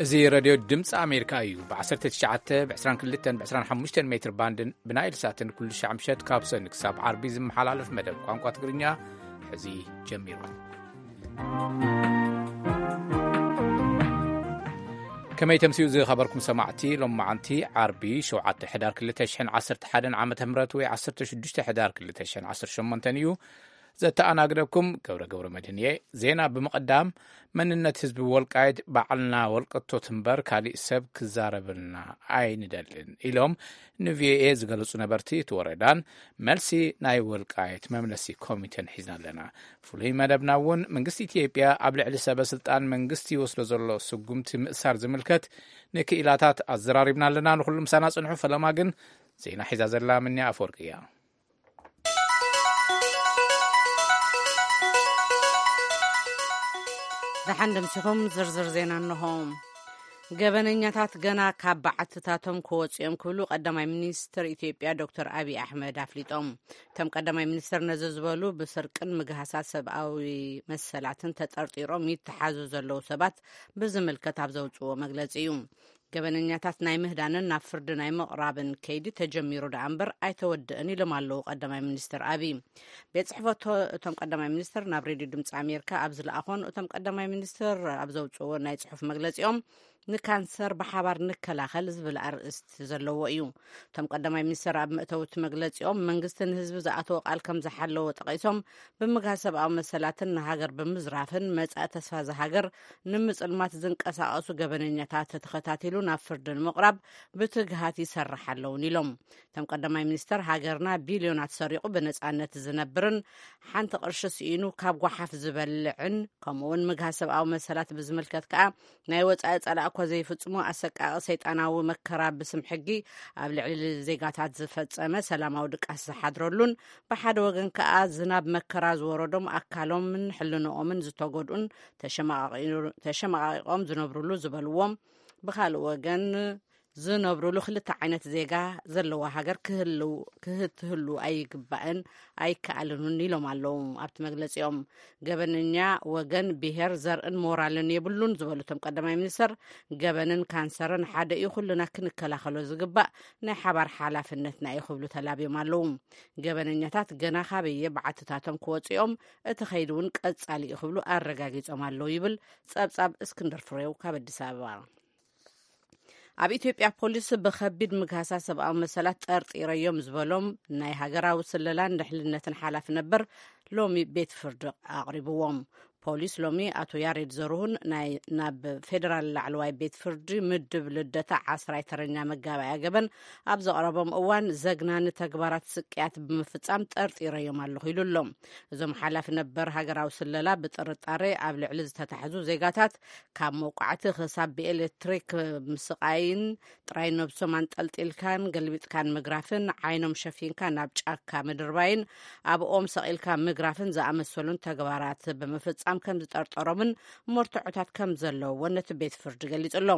እዚ ሬድዮ ድምፂ ኣሜሪካ እዩ። ብ19፣ ብ22፣ ብ25 ሜትር ባንድን ብናይል ሳትን ኩሉ ሻዕ ምሸት ካብ ሰኒ ክሳብ ዓርቢ ዝመሓላለፍ መደብ ቋንቋ ትግርኛ ሕዚ ጀሚሩ። ከመይ ተምስዩ ዝኸበርኩም ሰማዕቲ፣ ሎም መዓንቲ ዓርቢ ሸውዓተ ሕዳር ክልተ ሽሕን ዓሰርተ ሓደን ዓመተ ምህረት ወይ ዓሰርተ ሽዱሽተ ሕዳር ክልተ ሽሕን ዓሰርተ ሸሞንተን እዩ። ዘተኣናግደኩም ገብረ ገብረ መድህን እየ። ዜና ብምቕዳም፣ መንነት ህዝቢ ወልቃይት ባዕልና ወልቀቶት እምበር ካሊእ ሰብ ክዛረበልና ኣይንደልን ኢሎም ንቪኦኤ ዝገለጹ ነበርቲ እቲ ወረዳን መልሲ ናይ ወልቃይት መምለሲ ኮሚቴን ሒዝና ኣለና። ፍሉይ መደብና እውን መንግስቲ ኢትዮጵያ ኣብ ልዕሊ ሰበ ስልጣን መንግስቲ ይወስዶ ዘሎ ስጉምቲ ምእሳር ዝምልከት ንክኢላታት ኣዘራሪብና ኣለና። ንኹሉ ምሳና ጽንሑ። ፈለማ ግን ዜና ሒዛ ዘላ ምንያ ኣፈወርቂ እያ። ደሓን ደምሲኹም ዝርዝር ዜና እንሆ። ገበነኛታት ገና ካብ በዓትታቶም ክወፁ እዮም ክብሉ ቀዳማይ ሚኒስትር ኢትዮጵያ ዶክተር ኣብይ ኣሕመድ ኣፍሊጦም። እቶም ቀዳማይ ሚኒስትር ነዚ ዝበሉ ብስርቅን ምግሃሳት ሰብኣዊ መሰላትን ተጠርጢሮም ይተሓዙ ዘለዉ ሰባት ብዝምልከት ኣብ ዘውፅዎ መግለፂ እዩ። ገበነኛታት ናይ ምህዳንን ናብ ፍርዲ ናይ ምቕራብን ከይዲ ተጀሚሩ ደኣ እምበር ኣይተወድእን ኢሎም ኣለዉ ቀዳማይ ሚኒስትር ኣብይ። ቤት ጽሕፈቶ እቶም ቀዳማይ ሚኒስትር ናብ ሬድዮ ድምፂ ኣሜሪካ ኣብ ዝለኣኾን እቶም ቀዳማይ ሚኒስትር ኣብ ዘውፅዎ ናይ ጽሑፍ መግለፂኦም፣ ንካንሰር ብሓባር ንከላኸል ዝብል ኣርእስቲ ዘለዎ እዩ። እቶም ቀዳማይ ሚኒስትር ኣብ መእተዊ እቲ መግለፂኦም፣ መንግስቲ ንህዝቢ ዝኣተወ ቃል ከም ዝሓለወ ጠቒሶም፣ ብምግሃስ ሰብኣዊ መሰላትን ንሃገር ብምዝራፍን መጻኢ ተስፋ እዛ ሃገር ንምጽልማት ዝንቀሳቐሱ ገበነኛታት ተኸታቲሉ ናብ ፍርዲ ንምቕራብ ብትግሃት ይሰርሕ ኣለውን ኢሎም። እቶም ቀዳማይ ሚኒስተር፣ ሃገርና ቢልዮናት ሰሪቑ ብነጻነት ዝነብርን ሓንቲ ቅርሺ ስኢኑ ካብ ጓሓፍ ዝበልዕን፣ ከምኡውን ምግሃስ ሰብኣዊ መሰላት ብዝምልከት ከኣ ናይ ወጻኢ ጸላእ እኳ ዘይፍጽሞ ኣሰቃቂ ሰይጣናዊ መከራ ብስም ሕጊ ኣብ ልዕሊ ዜጋታት ዝፈጸመ፣ ሰላማዊ ድቃስ ዝሓድረሉን ብሓደ ወገን ከኣ ዝናብ መከራ ዝወረዶም ኣካሎምን ሕልንኦምን ዝተጎድኡን ተሸማቃቂ-፣ ተሸማቃቂቆም ዝነብሩሉ ዝበልዎም፣ ብኻልእ ወገን ዝነብሩሉ ክልተ ዓይነት ዜጋ ዘለዋ ሃገር ክህልው-፣ ክህትህሉ ኣይግባእን ኣይከኣልን እውን ኢሎም ኣለዉ ኣብቲ መግለጺኦም። ገበነኛ ወገን፣ ብሄር፣ ዘርእን ሞራልን የብሉን ዝበሉ እቶም ቀዳማይ ሚኒስተር፣ ገበንን ካንሰርን ሓደ እዩ፣ ኩልና ክንከላኸሎ ዝግባእ ናይ ሓባር ሓላፍነትና እዩ ክብሉ ተላብዮም ኣለዉ። ገበነኛታት ገና ካበየ በዓትታቶም ክወፅኦም፣ እቲ ከይዲ እውን ቀጻሊ እዩ ክብሉ ኣረጋጊጾም ኣለዉ ይብል ጸብጻብ እስክንድር ፍሬው ካብ ኣዲስ ኣበባ። ኣብ ኢትዮጵያ ፖሊስ ብኸቢድ ምግሃሳ ሰብኣዊ መሰላት ጠርጢረዮም ዝበሎም ናይ ሃገራዊ ስለላን ድሕንነትን ሓላፊ ነበር ሎሚ ቤት ፍርዲ ኣቕሪብዎም። ፖሊስ ሎሚ ኣቶ ያሬድ ዘርሁን ናይ፣ ናብ ፌደራል ላዕለዋይ ቤት ፍርዲ ምድብ ልደታ ዓስራይ ተረኛ መጋባእያ ገበን ኣብ ዘቕረቦም እዋን፣ ዘግናኒ ተግባራት ስቅያት ብምፍጻም ጠርጢረዮም ኣለኹ ኢሉ ኣሎ። እዞም ሓላፊ ነበር ሃገራዊ ስለላ ብጥርጣሬ ኣብ ልዕሊ ዝተታሕዙ ዜጋታት ካብ መውቃዕቲ ክሳብ ብኤሌክትሪክ ምስቓይን ጥራይ ነብሶም ኣንጠልጢልካን ገልቢጥካን ምግራፍን ዓይኖም ሸፊንካ ናብ ጫካ ምድርባይን ኣብ ኦም ሰቒልካ ምግራፍን ዝኣመሰሉን ተግባራት ብምፍጻም ከም ዝጠርጠሮምን መርትዖታት ከም ዘለውዎ ነቲ ቤት ፍርዲ ገሊጹ ኣሎ።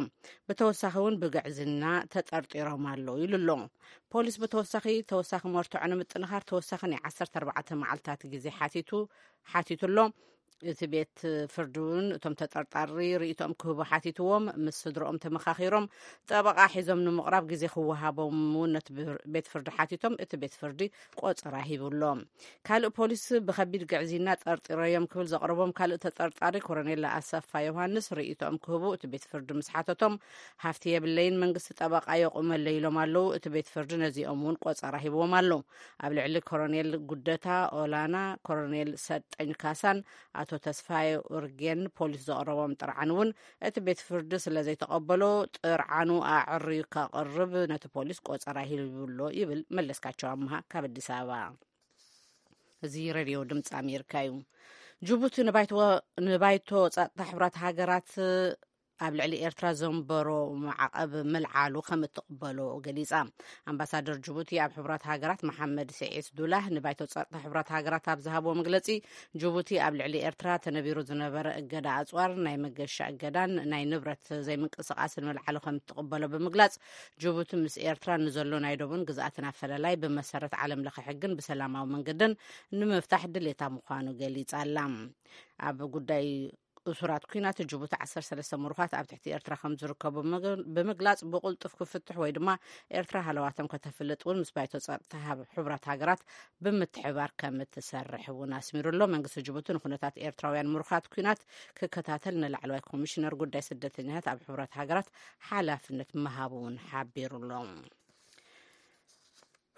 ብተወሳኺ እውን ብግዕዝና ተጠርጢሮም ኣለዉ ኢሉ ኣሎ። ፖሊስ ብተወሳኺ ተወሳኺ መርትዖ ንምጥንኻር ተወሳኺ ናይ ዓሰርተ ኣርባዕተ መዓልታት ግዜ ሓቲቱ፣ ሓቲቱ ኣሎ። እቲ ቤት ፍርዲ እውን እቶም ተጠርጣሪ ርእይቶኦም ክህቡ ሓቲትዎም፣ ምስ ስድሮኦም ተመኻኺሮም፣ ጠበቓ ሒዞም ንምቕራብ ግዜ ክወሃቦም እውን ነቲ ቤት ፍርዲ ሓቲቶም፣ እቲ ቤት ፍርዲ ቆጸራ ሂቡ ኣሎ። ካልእ ፖሊስ ብኸቢድ ግዕዝይና ጠርጢረዮም ክብል ዘቕረቦም ካልእ ተጠርጣሪ ኮረኔል ኣሰፋ ዮሃንስ ርእይቶኦም ክህቡ እቲ ቤት ፍርዲ ምስ ሓተቶም፣ ሃፍቲ የብለይን፣ መንግስቲ ጠበቓ የቑመለይ ኢሎም ኣለዉ። እቲ ቤት ፍርዲ ነዚኦም እውን ቆጸራ ሂብዎም ኣሎ። ኣብ ልዕሊ ኮረኔል ጉደታ ኦላና፣ ኮረኔል ሰጠኝ ካሳን ኣቶ ተስፋይ ኡርጌን ፖሊስ ዘቕረቦም ጥርዓን እውን እቲ ቤት ፍርዲ ስለ ዘይተቐበሎ፣ ጥርዓኑ ኣዕርዩ ከቕርብ ነቲ ፖሊስ ቆጸራ ሂቡ ኣሎ ይብል መለስካቸው ኣምሃ ካብ ኣዲስ ኣበባ። እዚ ሬድዮ ድምፂ ኣሜሪካ እዩ። ጅቡቲ ንባይቶ፣ ንባይቶ ጸጥታ ሕቡራት ሃገራት ኣብ ልዕሊ ኤርትራ ዘንበሮ ማዕቐብ ምልዓሉ ከም እትቕበሎ ገሊጻ። ኣምባሳደር ጅቡቲ ኣብ ሕቡራት ሃገራት መሓመድ ስዒድ ዱላህ ንባይቶ ጸጥታ ሕቡራት ሃገራት ኣብ ዝሃብዎ መግለጺ፣ ጅቡቲ ኣብ ልዕሊ ኤርትራ ተነቢሩ ዝነበረ እገዳ ኣጽዋር፣ ናይ መገሻ እገዳን ናይ ንብረት ዘይምንቅስቓስን ምልዓሉ ከም እትቕበሎ ብምግላጽ፣ ጅቡቲ ምስ ኤርትራ ንዘሎ ናይ ዶብን ግዝኣትን ኣፈላላይ ብመሰረት ዓለም ለኸ ሕግን ብሰላማዊ መንገድን ንምፍታሕ ድሌታ ምዃኑ ገሊጻ ኣላ። ኣብ ጉዳይ እሱራት ኲናት ጅቡቲ ዓሰርተ ሰለስተ ምሩኻት ኣብ ትሕቲ ኤርትራ ከም ዝርከቡ ብምግ-፣ ብምግላጽ፣ ብቕልጡፍ ክፍትሑ ወይ ድማ ኤርትራ ሃለዋቶም ከተፍልጥ እውን ምስ ባይቶ ጸጥታ ሃብ-፣ ሕቡራት ሃገራት ብምትሕባር ከም እትሰርሕ እውን ኣስሚሩ ኣሎ። መንግስቲ ጅቡቲ ንኩነታት ኤርትራውያን ምሩኻት ኲናት ክከታተል ንላዕለዋይ ኮሚሽነር ጉዳይ ስደተኛታት ኣብ ሕቡራት ሃገራት ሓላፍነት ምሃቡ እውን ሓቢሩ ኣሎ።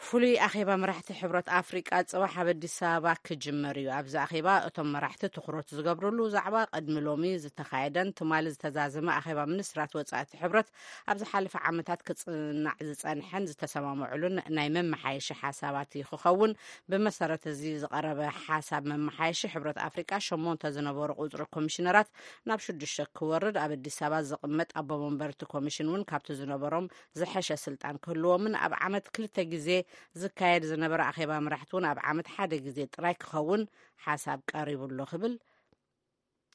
ፍሉይ ኣኼባ መራሕቲ ሕብረት ኣፍሪቃ ጽባሕ ኣብ ኣዲስ ኣበባ ክጅመር እዩ። ኣብዚ ኣኼባ እቶም መራሕቲ ትኹረት ዝገብርሉ ዛዕባ ቅድሚ ሎሚ ዝተኻየደን ትማሊ ዝተዛዘመ ኣኼባ ሚኒስትራት ወጻእቲ ሕብረት ኣብ ዝሓለፈ ዓመታት ክጽናዕ ዝጸንሐን ዝተሰማምዑሉን ናይ መመሓየሺ ሓሳባት እዩ ክኸውን። ብመሰረት እዚ ዝቐረበ ሓሳብ መመሓየሺ፣ ሕብረት ኣፍሪቃ ሸሞንተ ዝነበሩ ቁጽሪ ኮሚሽነራት ናብ ሽዱሽተ ክወርድ፣ ኣብ ኣዲስ ኣበባ ዝቕመጥ ኣቦ መንበርቲ ኮሚሽን እውን ካብቲ ዝነበሮም ዝሐሸ ስልጣን ክህልዎምን ኣብ ዓመት ክልተ ግዜ ዝካየድ ዝነበረ ኣኼባ መራሕቲ እውን ኣብ ዓመት ሓደ ግዜ ጥራይ ክኸውን ሓሳብ ቀሪቡ ኣሎ ክብል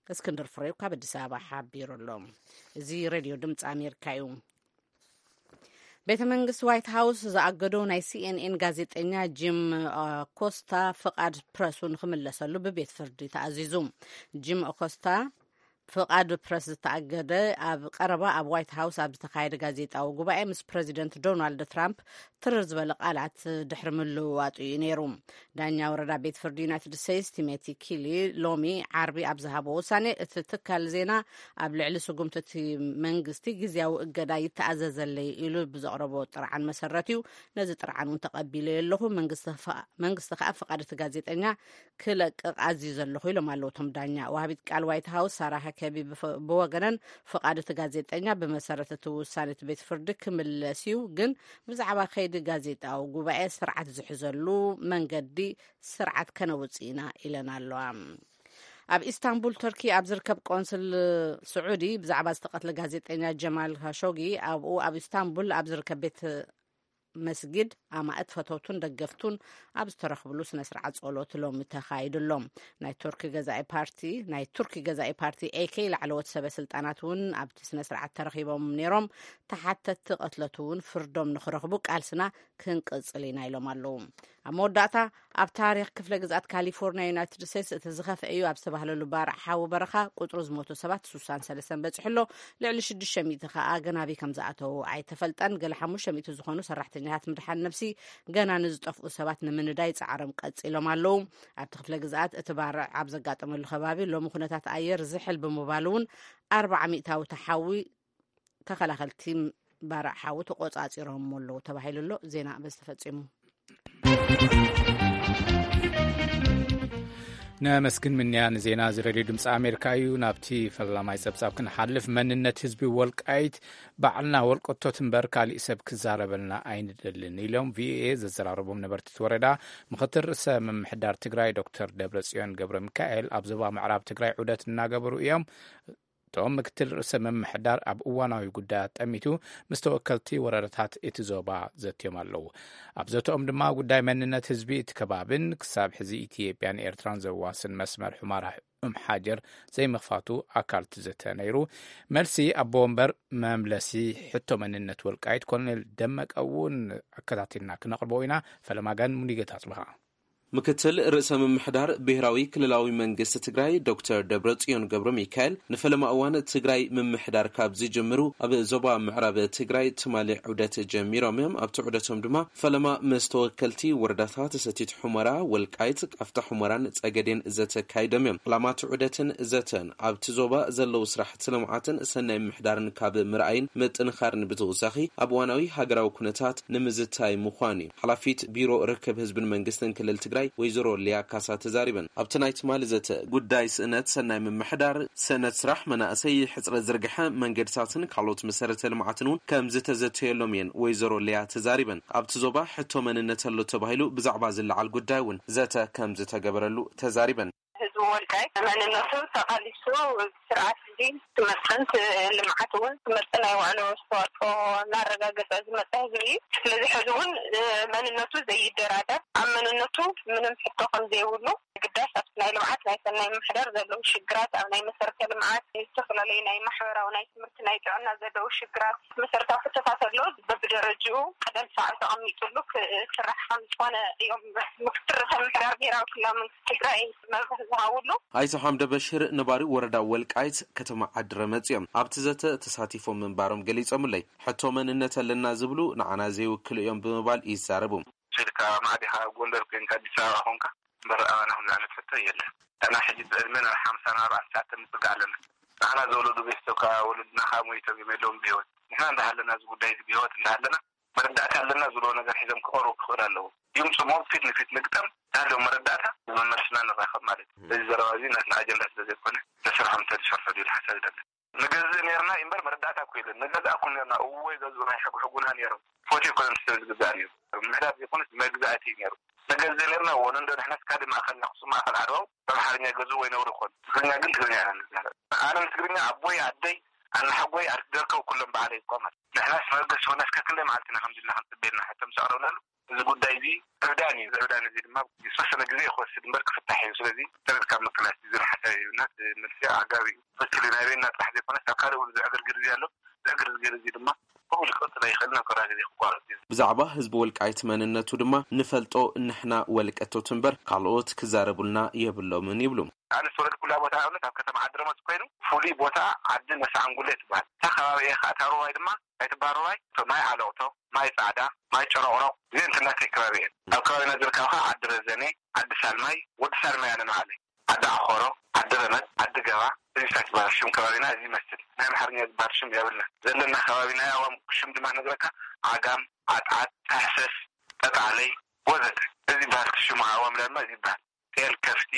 እስክንድር ፍሬው ካብ ኣዲስ ኣበባ ሓቢሩ ኣሎ። እዚ ሬድዮ ድምፂ ኣሜሪካ እዩ። ቤተ መንግስቲ ዋይት ሃውስ ዝኣገዶ ናይ ሲ ኤን ኤን ጋዜጠኛ ጂም፣ አ፣ ኮስታ ፍቓድ ፕረሱ ንክምለሰሉ ብቤት ፍርዲ ተኣዚዙ። ጂም ኮስታ ፍቓድ ፕረስ ዝተኣገደ ኣብ ቀረባ ኣብ ዋይት ሃውስ ኣብ ዝተኻየደ ጋዜጣዊ ጉባኤ ምስ ፕረዚደንት ዶናልድ ትራምፕ ትርር ዝበለ ቃላት ድሕሪ ምልውዋጡ እዩ ነይሩ። ዳኛ ወረዳ ቤት ፍርዲ ዩናይትድ ስቴትስ ቲሞቲ ኪሊ ሎሚ ዓርቢ ኣብ ዝሃቦ ውሳኔ፣ እቲ ትካል ዜና ኣብ ልዕሊ ስጉምቲ እቲ መንግስቲ ግዝያዊ እገዳ ይተኣዘዘለይ ኢሉ ብዘቕረቦ ጥርዓን መሰረት እዩ። ነዚ ጥርዓን እውን ተቐቢለዮ ኣለኹ። መንግስቲ ኸ-፣ መንግስቲ ከኣ ፍቓድ እቲ ጋዜጠኛ ክለቅቕ ኣዝዩ ዘለኹ ኢሎም ኣለዉ እቶም ዳኛ። ወሃቢት ቃል ዋይት ሃውስ ሳራ ሃከቢ ብፈ-፣ ብወገነን፣ ፍቓድ እቲ ጋዜጠኛ ብመሰረት እቲ ውሳኔ እቲ ቤት ፍርዲ ክምለስ እዩ፣ ግን ብዛዕባ ከይዲ ጋዜጣዊ ጉባኤ ስርዓት ዝሕዘሉ መንገዲ ስርዓት ከነውጽእ ኢና ኢለን ኣለዋ። ኣብ ኢስታንቡል ቱርኪ ኣብ ዝርከብ ቆንስል ስዑዲ ብዛዕባ ዝተቐትለ ጋዜጠኛ ጀማል ካሾጊ፣ ኣብኡ ኣብ ኢስታንቡል ኣብ ዝርከብ ቤት መስጊድ ኣማእት ፈተውቱን ደገፍቱን ኣብ ዝተረኽብሉ ስነ ስርዓት ጸሎት ሎሚ ተኻይዱ ኣሎ። ናይ ቱርኪ ገዛኢ ፓርቲ፣ ናይ ቱርኪ ገዛኢ ፓርቲ ኤ ኬ ላዕለዎት ሰበ ስልጣናት እውን ኣብቲ ስነ ስርዓት ተረኺቦም ነይሮም። ተሓተትቲ ቅትለቱ እውን ፍርዶም ንኽረኽቡ ቃልስና ክንቅጽል ኢና ኢሎም ኣለዉ። ኣብ መወዳእታ፣ ኣብ ታሪኽ ክፍለ ግዝኣት ካሊፎርኒያ ዩናይትድ ስቴትስ እቲ ዝኸፍአ እዩ ኣብ ዝተባህለሉ ባርዕ ሓዊ በረኻ ቁጽሩ ዝሞቱ ሰባት ስሳን ሰለስተን በጺሑ ኣሎ። ልዕሊ ሽዱሽተ ሚእቲ ከኣ ገናቢ ከም ዝኣተዉ ኣይተፈልጠን። ገለ ሓሙሽተ ሚእቲ ዝኾኑ ሰራሕተኛታት ምድሓን ነብሲ ገና ንዝጠፍኡ ሰባት ንምንዳይ ጻዕሮም ቀጺሎም ኣለዉ። ኣብቲ ክፍለ ግዝኣት እቲ ባርዕ ኣብ ዘጋጠመሉ ከባቢ ሎሚ ኩነታት ኣየር ዝሕል ብምባሉ እውን ኣርብዓ ሚእታዊ ተሓዊ ተኸላኸልቲ ባርዕ ሓዊ ተቆጻጺሮም ኣለዉ ተባሂሉ ኣሎ። ዜና በዚ ተፈጺሙ። ነመስግን ምንያ ንዜና እዚ ሬድዮ ድምፂ ኣሜሪካ እዩ። ናብቲ ፈላማይ ጸብጻብ ክንሓልፍ፣ መንነት ህዝቢ ወልቃይት ባዕልና ወልቀቶት እምበር ካሊእ ሰብ ክዛረበልና ኣይንደልን ኢሎም ቪኦኤ ዘዘራረቦም ነበርቲ እቲ ወረዳ። ምክትል ርእሰ ምምሕዳር ትግራይ ዶክተር ደብረጽዮን ገብረ ሚካኤል ኣብ ዞባ ምዕራብ ትግራይ ዑደት እናገበሩ እዮም። እቶም ምክትል ርእሰ ምምሕዳር ኣብ እዋናዊ ጉዳያት ጠሚቱ ምስ ተወከልቲ ወረዳታት እቲ ዞባ ዘትዮም ኣለዉ። ኣብ ዘተኦም ድማ ጉዳይ መንነት ህዝቢ እቲ ከባብን ክሳብ ሕዚ ኢትዮጵያን ኤርትራን ዘዋስን መስመር ሑመራ ኡም ሓጀር ዘይምኽፋቱ ኣካል እቲ ዘተ ነይሩ። መልሲ ኣቦ ወንበር መምለሲ ሕቶ መንነት ወልቃይት ኮሎኔል ደመቀ እውን ኣከታቲልና ክነቕርቦ ኢና። ፈለማ ግን ሙሉጌታ ኣጽብሃ። ምክትል ርእሰ ምምሕዳር ብሄራዊ ክልላዊ መንግስቲ ትግራይ ዶክተር ደብረጽዮን ገብረ ሚካኤል ንፈለማ እዋን ትግራይ ምምሕዳር ካብ ዝጅምሩ ኣብ ዞባ ምዕራብ ትግራይ ትማሊ ዑደት ጀሚሮም እዮም። ኣብቲ ዑደቶም ድማ ፈለማ ምስ ተወከልቲ ወረዳታት ሰቲት ሑመራ፣ ወልቃይት፣ ቃፍታ ሑመራን ጸገዴን ዘተ ኣካይዶም እዮም። ዕላማ እቲ ዑደትን ዘተን ኣብቲ ዞባ ዘለዉ ስራሕቲ ልምዓትን ሰናይ ምምሕዳርን ካብ ምርኣይን ምጥንኻርን ብተወሳኺ ኣብ እዋናዊ ሃገራዊ ኩነታት ንምዝታይ ምዃኑ እዩ። ሓላፊት ቢሮ ርክብ ህዝብን መንግስትን ክልል ትግራይ ወይዘሮ ሊያ ካሳ ተዛሪበን። ኣብቲ ናይ ትማሊ ዘተ ጉዳይ ስእነት ሰናይ ምምሕዳር፣ ስእነት ስራሕ መናእሰይ፣ ሕፅረት ዝርግሐ መንገድታትን ካልኦት መሰረተ ልምዓትን እውን ከም ዝተዘተየሎም እየን ወይዘሮ ሊያ ተዛሪበን። ኣብቲ ዞባ ሕቶ መንነት ኣሎ ተባሂሉ ብዛዕባ ዝለዓል ጉዳይ እውን ዘተ ከም ዝተገበረሉ ተዛሪበን። ህዝቢ ወልቃይት መንነቱ ተቓሊሱ ስርዓት እዚ ትምህርትን ት-፣ ልምዓት እውን ትምህርቲ ናይ ውዕሎ ኣስተዋፅኦ እናረጋገፀ ዝመፀ ህዝቢ እዩ። ስለዚ ሕዚ እውን መንነቱ ዘይደራደር፣ ኣብ መንነቱ ምንም ሕቶ ከም ዘይብሉ ግዳስ ኣብቲ ናይ ልምዓት ናይ ሰናይ ምምሕዳር ዘለዉ ሽግራት፣ ኣብ ናይ መሰረተ ልምዓት፣ ዝተፈላለዩ ናይ ማሕበራዊ፣ ናይ ትምህርቲ፣ ናይ ጥዕና ዘለዉ ሽግራት፣ መሰረታዊ ሕቶታት ኣለዉ። በብደረጅኡ ቀደም ሰዓብ ተቐሚጡሉ ክስራሕ ከም ዝኾነ እዮም ምክትል ርእሰ ምምሕዳር ብሄራዊ ክልላዊ መንግስቲ ትግራይ መብርሂ ዝሃቡ። ኣውሎ ኣይተ ሓምደ በሽር ነባሪ ወረዳ ወልቃይት ከተማ ዓዲ ረመጽ እዮም። ኣብቲ ዘተ ተሳቲፎም ምንባሮም ገሊጾምለይ። ሕቶ መንነት ኣለና ዝብሉ ንዓና ዘይውክሉ እዮም ብምባል ይዛረቡ። ስልካ ማዕዲኻ ጎንደር ኮይንካ ኣዲስ ኣበባ ኾንካ እምበር ኣባና ከምዚ ዓይነት ሕቶ የለን። ኣና ሕጂ ብዕድመ ናብ ሓምሳ ናብ ኣርባዕተ ሰዓት ምጽጋዕ ኣለና። ንዓና ዘወለዱ ቤተሰብካ ወለድናኻ ሞይቶም እዮም የለውም ብህይወት። ንሕና እንዳሃለና እዚ ጉዳይ እዚ ብህይወት እንዳሃለና መረዳእታ ኣለና ዝብሎ ነገር ሒዞም ክቐርቡ ክኽእል ኣለዎ። ይምፅሞም ፊት ንፊት ንግጠም። ናሎም መረዳእታ መመልስና ንራኸብ ማለት እዩ። እዚ ዘረባ እዚ ናትና ኣጀንዳ ስለ ዘይኮነ ተሰርሖም እንተዝሰርሑ ድብል ሓሳብ ይደለ። ንገዝእ ነርና እምበር መረዳእታ እኮ የለን። ንገዛእ እኮ ነርና እወ ይገዝኡ ናይ ሕጉ ሕጉና ነሮም። ፎቶ ይኮነ ሰብ ዝግዛእ ነሩ። ምሕዳር ዘይኮነስ መግዛእቲ እዩ ነሩ። ንገዝእ ነርና እወ ንንዶ ንሕና ስካዲ ማእኸል ናክሱ ማእኸል ዓድዋው በምሓርኛ ገዝኡ ወይ ነብሩ ይኮን ትግርኛ ግን ትግርኛ ኢና ንዛረብ። ኣነ ንትግርኛ ኣቦይ ኣደይ ኣናሓጎይ ኣርክደርከው ኩሎም በዓለይ እኳ ማለት ንሕናስ መበገሲ ሆናስ ከክንደይ መዓልትና ከምዚ ኢልና ክንፅበየልና ሕቶ ምስ ኣቕረብናሉ እዚ ጉዳይ እዚ ዕብዳን እዩ። እዚ ዕብዳን እዚ ድማ ዝተወሰነ ግዜ ክወስድ እምበር ክፍታሕ እዩ። ስለዚ ተረድካ ምቅላስ እዩ ዝብል ሓሳብ እዩ እና እቲ መልሲ ኣጋቢ እዩ። ትክክል እዩ። ናይ ቤና ጥራሕ ዘይኮነስ ኣብ ካልእ እውን ዝዕግር ግዜ ኣሎ። ዝዕግር ግዜ እዚ ድማ ከምኡ ክቅፅል ኣይኽእልን ኣብ ቀረባ ግዜ ክቋረፅ እዩ። ብዛዕባ ህዝቢ ወልቃይት መንነቱ ድማ ንፈልጦ ንሕና ወልቀቶት እምበር ካልኦት ክዛረቡልና የብሎምን ይብሉ። ኣነ ዝተወለድኩላ ቦታ ኣብነት ኣብ ከተማ ዓዲ ረመፅ ኮይኑ ፍሉይ ቦታ ዓዲ ነሳዕንጉለ ትበሃል። እታ ከባቢ እየ ከዓ እታ ሩባይ ድማ ኣይትበሃል ሩባይ ማይ ዓለቕቶ፣ ማይ ፃዕዳ፣ ማይ ጨረቕረቕ እዚአን ትናተይ ከባቢ እየን። ኣብ ከባቢና ዝርከብ ከዓ ዓዲ ረዘነ፣ ዓዲ ሳልማይ፣ ወዲ ሳልማይ ኣነ ንባዕለይ፣ ዓዲ ዓኾሮ፣ ዓዲ ረመፅ፣ ዓዲ ገባ እዚታት ይበሃል ሽም ከባቢና እዚ ይመስል። ናይ ኣምሓርኛ ዝበሃል ሽም የብልና ዘለና ከባቢ ናይ ኣዋም ሽም ድማ ነግረካ ዓጋም፣ ዓጥዓጥ፣ ታሕሰስ፣ ጠጣዕለይ ወዘተ እዚ ይበሃል ሽሙ ኣዋም ዳማ እዚ ይበሃል። ጤል ከፍቲ፣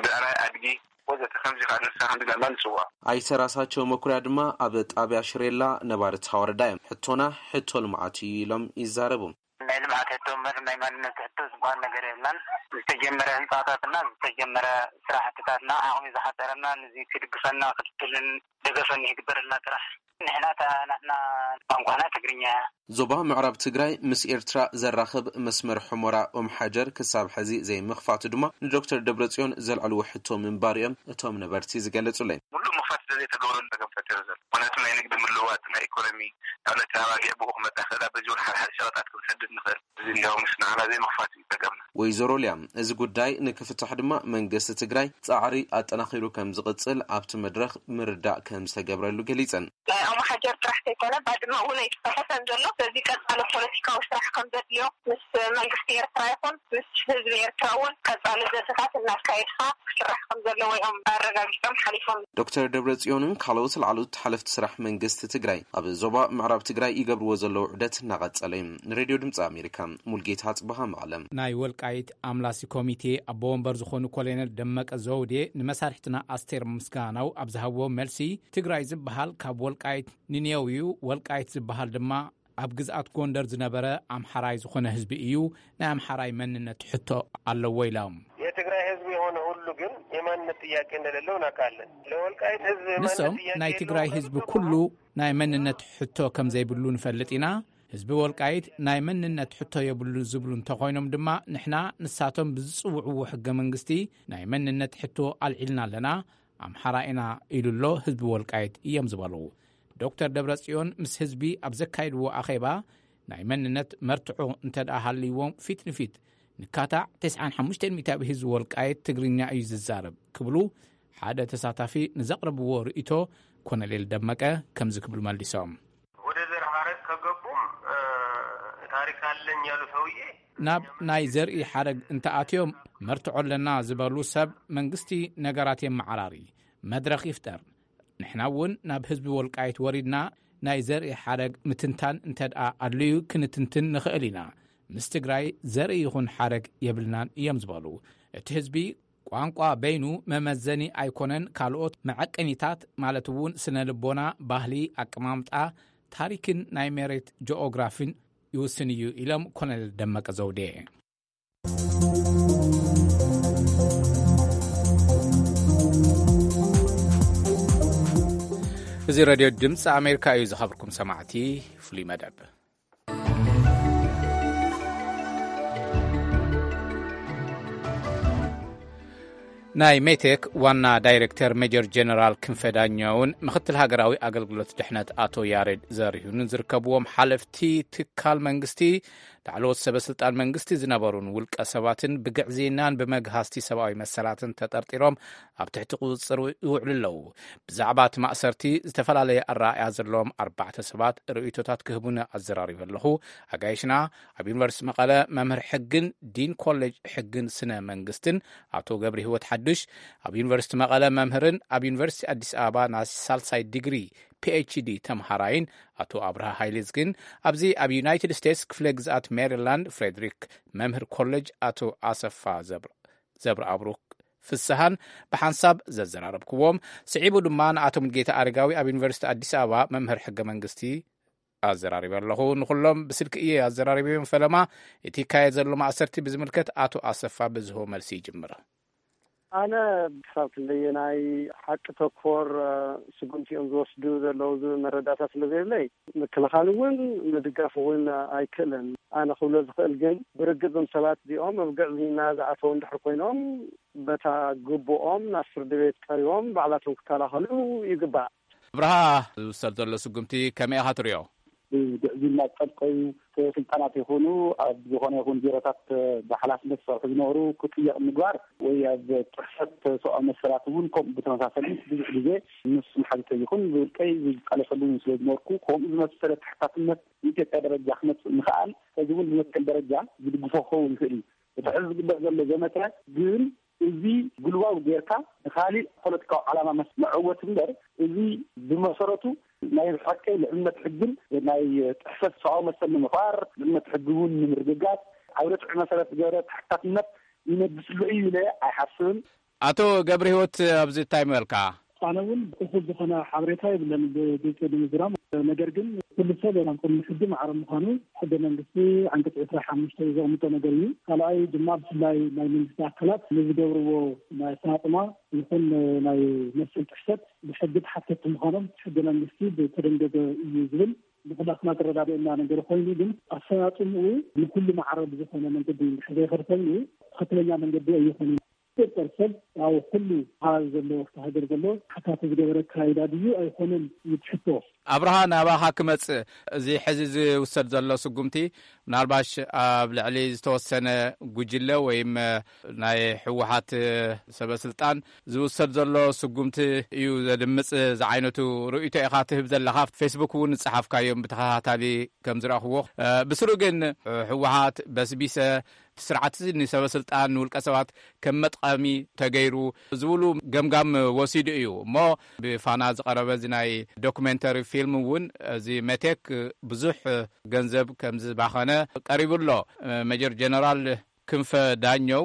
ብዕራይ ኣድጊ ወዘተ ከምዚ ከዓ ንሳ ከምዚ ዳማ ንፅውዖ። ኣይተ ራሳቸው መኩሪያ ድማ ኣብ ጣብያ ሽሬላ ነባርቲ ወረዳ እዮም። ሕቶና ሕቶ ልምዓት እዩ ኢሎም ይዛረቡ። ናይ ልምዓት ሕቶ እምበር ናይ ማንነት ሕቶ ዝበሃል ነገር የብልናን። ዝተጀመረ ህንፃታትና ዝተጀመረ ስራሕትታትና ዓቕሚ ዝሓፀረና ንዚ ክድግፈና ክትትልን ደገፈን ይግበረልና ጥራሕ። ንሕና እታ ናትና ቋንቋና ትግርኛ። ዞባ ምዕራብ ትግራይ ምስ ኤርትራ ዘራኽብ መስመር ሑመራ ኦም ሓጀር ክሳብ ሕዚ ዘይምኽፋቱ ድማ ንዶክተር ደብረጽዮን ዘልዕልዎ ሕቶ ምንባር እዮም እቶም ነበርቲ ዝገለጹለይ። ሙሉእ ምኽፋት ስለዘይተገብረሉ ጸገም ፈጢሩ ዘሎ። ምኽንያቱ ናይ ንግዲ ምልውዋጥ፣ ናይ ኢኮኖሚ፣ ንኣብነት ኣባጊዕ ብኡ ክመጻ ይኽእል፣ በዚ እውን ሓደ ሓደ ሸቐጣት ክንሰድድ ንኽእል። እዚ እንዲያውም ምስ ንዓና ዘይምኽፋት እዩ ጸገምና። ወይዘሮ ሊያ፣ እዚ ጉዳይ ንክፍታሕ ድማ መንግስቲ ትግራይ ጻዕሪ ኣጠናኺሩ ከም ዝቕጽል ኣብቲ መድረኽ ምርዳእ ከም ዝተገብረሉ ገሊጸን። ናይ ኦም ሓጀር ጥራሕ ዘይኮነ ባድመ እውን ኣይተፈተሐን ዘሎ። ስለዚ ቀጻሊ ፖለቲካዊ ስራሕ ከም ዘድልዮ ምስ መንግስቲ ኤርትራ ይኹን ምስ ህዝቢ ኤርትራ እውን ቀጻሊ ዘተታት እናካየድካ ክስራሕ ከም ዘለዎ እዮም ኣረጋጊጾም ሓሊፎም። ዶክተር ደብረጽዮንን ካልኦት ላዕለዎት ሓለፍቲ ስራሕ መንግስቲ ትግራይ ኣብ ዞባ ምዕራብ ትግራይ ይገብርዎ ዘለዉ ዑደት እናቐጸለ እዩ። ንሬድዮ ድምፂ ኣሜሪካ ሙልጌታ ጽበሃ መቐለ። ናይ ወልቃይት ኣምላሲ ኮሚቴ ኣቦ ወንበር ዝኾኑ ኮሎኔል ደመቀ ዘውዴ ንመሳርሕትና ኣስቴር ምስጋናው ኣብ ዝሃብዎ መልሲ፣ ትግራይ ዝበሃል ካብ ወልቃይት ንኔው እዩ፣ ወልቃይት ዝበሃል ድማ ኣብ ግዝኣት ጎንደር ዝነበረ ኣምሓራይ ዝኾነ ህዝቢ እዩ፣ ናይ ኣምሓራይ መንነት ሕቶ ኣለዎ ኢሎም። የትግራይ ህዝብ የሆነ ሁሉ ግን የማንነት ጥያቄ እንደሌለው እናውቃለን። ለወልቃይት ህዝብ የማንነት ንሶም ጥያቄ ናይ የለውም ትግራይ ህዝቢ ከሚለው ኩሉ ናይ መንነት ሕቶ ከም ዘይብሉ ንፈልጥ ኢና። ህዝቢ ወልቃይት ናይ መንነት ሕቶ የብሉ ዝብሉ እንተኾይኖም ድማ ንሕና ንሳቶም ብዝጽውዕዎ ሕገ መንግስቲ ናይ መንነት ሕቶ ኣልዒልና ኣለና። ኣምሓራ ኢና ኢሉ ኣሎ ህዝቢ ወልቃይት እዮም ዝበሉ። ዶክተር ደብረጽዮን ምስ ህዝቢ ኣብ ዘካይድዎ ኣኼባ ናይ መንነት መርትዖ እንተ ደኣ ሃልይዎም ፊት ንፊት ንካታዕ ተስዓን ሓሙሽተን ሚእታዊ ህዝቢ ወልቃይት ትግርኛ እዩ ዝዛረብ ክብሉ ሓደ ተሳታፊ ንዘቕረብዎ ርእይቶ ኮሎኔል ደመቀ ከምዚ ክብሉ መልሶም። ወደ ዘር ሐረግ ከገቡም ታሪክ አለኝ ያሉ ሰውዬ ናብ ናይ ዘርኢ ሓረግ እንተኣትዮም መርትዖ ኣለና ዝበሉ ሰብ መንግስቲ ነገራት የመዓራሪ መድረኽ ይፍጠር። ንሕና እውን ናብ ህዝቢ ወልቃይት ወሪድና ናይ ዘርኢ ሓረግ ምትንታን እንተ ደኣ ኣድልዩ ክንትንትን ንኽእል ኢና። ምስ ትግራይ ዘርኢ ይኹን ሓረግ የብልናን እዮም ዝበሉ። እቲ ህዝቢ ቋንቋ በይኑ መመዘኒ ኣይኮነን፣ ካልኦት መዐቀኒታት ማለት እውን ስነ ልቦና፣ ባህሊ፣ ኣቀማምጣ፣ ታሪክን ናይ መሬት ጂኦግራፊን ይውስን እዩ ኢሎም ኮሎኔል ደመቀ ዘውዴ። እዚ ሬድዮ ድምፂ ኣሜሪካ እዩ። ዝኸብርኩም ሰማዕቲ፣ ፍሉይ መደብ። ናይ ሜቴክ ዋና ዳይሬክተር ሜጀር ጀነራል ክንፈ ዳኛውን ምክትል ሃገራዊ ኣገልግሎት ድሕነት ኣቶ ያሬድ ዘሪሁንን ዝርከብዎም ሓለፍቲ ትካል መንግስቲ ላዕለዎት ሰበ ስልጣን መንግስቲ ዝነበሩን ውልቀ ሰባትን ብግዕዝይናን ብመግሃስቲ ሰብኣዊ መሰላትን ተጠርጢሮም ኣብ ትሕቲ ቁፅፅር ይውዕሉ ኣለዉ። ብዛዕባ እቲ ማእሰርቲ ዝተፈላለየ ኣረኣእያ ዘለዎም ኣርባዕተ ሰባት ርእይቶታት ክህቡኒ ኣዘራሪበ ኣለኹ። ኣጋይሽና ኣብ ዩኒቨርሲቲ መቐለ መምህር ሕግን ዲን ኮሌጅ ሕግን ስነ መንግስትን ኣቶ ገብረ ህይወት ሓዱሽ፣ ኣብ ዩኒቨርሲቲ መቐለ መምህርን ኣብ ዩኒቨርሲቲ ኣዲስ ኣበባ ናይ ሳልሳይ ዲግሪ ፒኤችዲ ተምሃራይን ኣቶ ኣብርሃ ሃይሌዝግን፣ ኣብዚ ኣብ ዩናይትድ ስቴትስ ክፍለ ግዝኣት ሜሪላንድ ፍሬድሪክ መምህር ኮሌጅ ኣቶ ኣሰፋ ዘብር ዘብረኣብሩክ ፍስሃን ብሓንሳብ ዘዘራረብክዎም፣ ስዒቡ ድማ ንኣቶ ሙልጌታ ኣረጋዊ ኣብ ዩኒቨርሲቲ ኣዲስ ኣበባ መምህር ሕገ መንግስቲ ኣዘራሪበ ኣለኹ። ንኹሎም ብስልኪ እየ ኣዘራሪበዮም። ፈለማ እቲ ይካየድ ዘሎ ማእሰርቲ ብዝምልከት ኣቶ ኣሰፋ ብዝህቦ መልሲ ይጅምር። ኣነ ክሳብ ክንደየናይ ሓቂ ተኮር ስጉምቲ እዮም ዝወስዱ ዘለዉ ዝብል መረዳእታ ስለ ዘየብለይ፣ ምክልኻል እውን ምድጋፍ እውን ኣይክእልን። ኣነ ክብሎ ዝኽእል ግን፣ ብርግጽ እዞም ሰባት እዚኦም ኣብ ግዕዝይና ዝኣተዉ እንድሕር ኮይኖም፣ በታ ግቡኦም ናብ ፍርዲ ቤት ቀሪቦም ባዕላቶም ክከላኸሉ ይግባእ። ኣብርሃ፣ ዝውሰድ ዘሎ ስጉምቲ ከመይ ኢኻ ትሪኦ? ብግዕዝይና ዝጠልቀዩ ስልጣናት ይኹኑ ኣብ ዝኾነ ይኹን ቢሮታት ብሓላፍነት ዝሰርሑ ዝነበሩ ክጥየቕ ምግባር ወይ ኣብ ጥሕሰት ሰብኣዊ መሰላት እውን ከምኡ ብተመሳሰሊ ብዙሕ ግዜ ንሱ መሓዙተይ ይኹን ብውልቀይ ዝቃለሰሉ ስለ ዝነበርኩ፣ ከምኡ ዝመሰለ ተሓታትነት ብኢትዮጵያ ደረጃ ክመፅእ ምኽኣል ሕዚ እውን ብመትከል ደረጃ ዝድግፎ ክኸውን ይኽእል እዩ። እቲ ሕዚ ዝግበር ዘሎ ዘመተ ግን እዚ ግሉባዊ ጌርካ ንኻሊእ ፖለቲካዊ ዓላማ መስ-፣ መዐወት እምበር፣ እዚ ብመሰረቱ ናይ ብሓቂ ልዕልነት ሕግን ናይ ጥሕሰት ሰብኣዊ መሰል ንምኽባር፣ ልዕልነት ሕጊ እውን ንምርግጋጽ ኣብ ርትዒ መሰረት ዝገበረ ተሓታትነት ይነግስሉ እዩ ኢለ ኣይሓስብን። ኣቶ ገብረ ህይወት፣ ኣብዚ እንታይ ምበልካ? ኣነ እውን እኹል ዝኾነ ሓበሬታ የብለን ብግልፂ ንምዝራብ። ነገር ግን ኩሉ ሰብ ኣብ ቅድሚ ሕጊ ማዕረ ምዃኑ ሕገ መንግስቲ ዓንቀፅ ዕስራን ሓሙሽተን ዘቕምጦ ነገር እዩ። ካልኣይ ድማ ብፍላይ ናይ መንግስቲ ኣካላት ንዝገብርዎ ናይ ኣፈፃፅማ ይኹን ናይ መሰል ጥሕሰት ብሕጊ ተሓተትቲ ምዃኖም ሕገ መንግስቲ ብተደንገገ እዩ ዝብል ብኩላትና ዝረዳድአና ነገር ኮይኑ፣ ግን ኣፈፃፅምኡ ንኩሉ ማዕረ ብዝኾነ መንገዲ እንድሕር ዘይኸድ ኮይኑ ትኽክለኛ መንገዲ ኣይኾነን። ቁፅር ሰብ ኣብ ኩሉ ከባቢ ዘሎ ኣብቲ ሃገር ዘሎ ሓታቲ ዝገበረ ኣካይዳ ድዩ ኣይኮነን እዩ እቲ ሕቶ። ኣብርሃ፣ ናባኻ ክመጽእ፣ እዚ ሕዚ ዝውሰድ ዘሎ ስጉምቲ ምናልባሽ ኣብ ልዕሊ ዝተወሰነ ጉጅለ ወይም ናይ ህወሓት ሰበ ስልጣን ዝውሰድ ዘሎ ስጉምቲ እዩ ዘድምጽ ዝዓይነቱ ርእይቶ ኢኻ ትህብ ዘለኻ። ፌስቡክ እውን ዝጸሓፍካዮም ብተኸታታሊ ከም ዝረኣኽዎ፣ ብስሩ ግን ህወሓት በስቢሰ ስርዓት እዚ ንሰበ ስልጣን ንውልቀ ሰባት ከም መጥቀሚ ተገይሩ ዝብሉ ገምጋም ወሲዱ እዩ። እሞ ብፋና ዝቐረበ እዚ ናይ ዶክሜንተሪ ፊልም እውን እዚ መቴክ ብዙሕ ገንዘብ ከም ዝባኸነ ቀሪቡ ኣሎ። ሜጀር ጀነራል ክንፈ ዳኘው